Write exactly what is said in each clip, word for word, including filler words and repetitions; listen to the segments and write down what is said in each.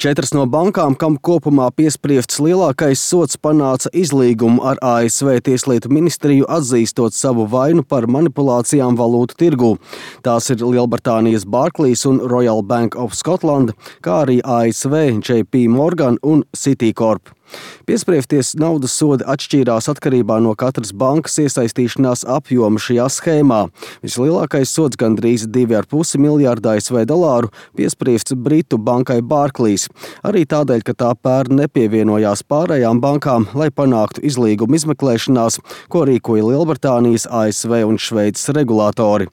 Četras no bankām, kam kopumā piespriests lielākais sods, panāca izlīgumu ar A S V Tieslietu ministriju, atzīstot savu vainu par manipulācijām valūtu tirgū. Tās ir Lielbritānijas Barclays un Royal Bank of Scotland, kā arī A S V J P Morgan un Citicorp. Piespriesties naudas sodi atšķīrās atkarībā no katras bankas iesaistīšanās apjoma šajā schēmā. Vislielākais sods, gandrīz divi ar pusi miljārdi A S V dolāru, piespriests Britu bankai Barclays. Arī tādēļ, ka tā pērn nepievienojās pārējām bankām, lai panāktu izlīgumu izmeklēšanās, ko rīkoja Lielbritānijas, A S V un Šveices regulātori.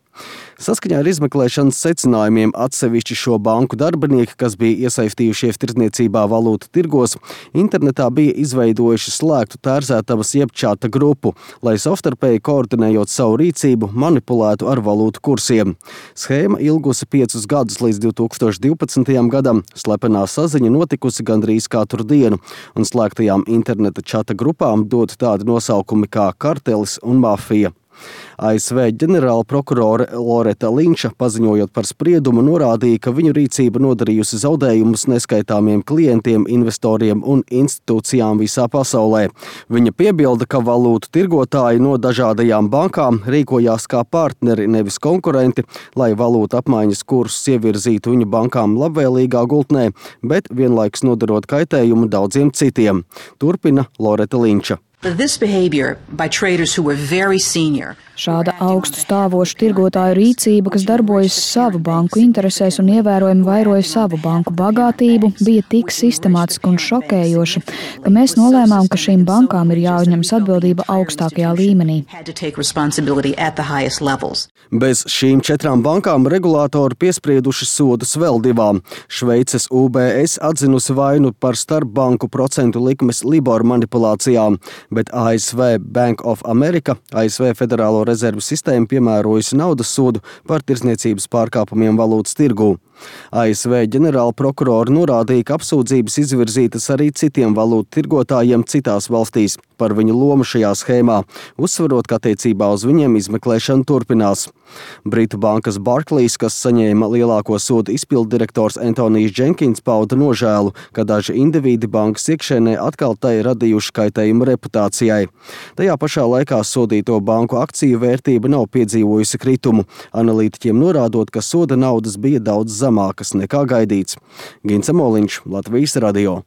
Saskaņā ar izmeklēšanas secinājumiem atsevišķi šo banku darbinieki, kas bija iesaistījušies tirdzniecībā valūtu tirgos, internetā bija izveidojuši slēgtu tērzētavas jeb čata grupu, lai savstarpēji koordinējot savu rīcību, manipulētu ar valūtu kursiem. Schēma ilgusi piecus gadus līdz divi tūkstoši divpadsmitajam gadam, slepenā saziņa notikusi gandrīz katru dienu, un slēgtajām interneta čata grupām dot tādi nosaukumi kā kartelis un mafija. A S V ģenerāla prokurore Loreta Linča, paziņojot par spriedumu, norādīja, ka viņu rīcība nodarījusi zaudējumus neskaitāmiem klientiem, investoriem un institūcijām visā pasaulē. Viņa piebilda, ka valūtu tirgotāji no dažādajām bankām rīkojās kā partneri, nevis konkurenti, lai valūtu apmaiņas kursus ievirzītu viņu bankām labvēlīgā gultnē, bet vienlaikus nodarot kaitējumu daudziem citiem. Turpina Loreta Linča. Šāda augstu stāvošu tirgotāju rīcība, kas darbojas savu banku interesēs un ievērojami vairoja savu banku bagātību, bija tik sistemātiska un šokējoša, ka mēs nolēmām, ka šīm bankām ir jāuzņemas atbildība augstākajā līmenī. Bez šīm četrām bankām regulātori piesprieduši sodus vēl divām. Šveices U B S atzinusi vainu par starpbanku procentu likmes Libor manipulācijām, bet A S V Bank of America, A S V Federālo rezervu sistēma, piemērojusi naudas sodu par tirdzniecības pārkāpumiem valūtas tirgū. A S V ģenerāla prokurori norādīja, ka apsūdzības izvirzītas arī citiem valūtu tirgotājiem citās valstīs par viņu lomu šajā schēmā, uzsverot, ka attiecībā uz viņiem izmeklēšana turpinās. Britu bankas Barclays, kas saņēma lielāko sodu, izpildu direktors Antonijs Jenkins pauda nožēlu, ka daži individi bankas iekšēnē atkal tai radījuši kaitējumu reputācijai. Tajā pašā laikā sodīto banku akciju vērtība nav piedzīvojusi kritumu, analītiķiem norādot, ka soda naudas bija daudz zemākas nekā gaidīts. Gints Moliņš, Latvijas radio.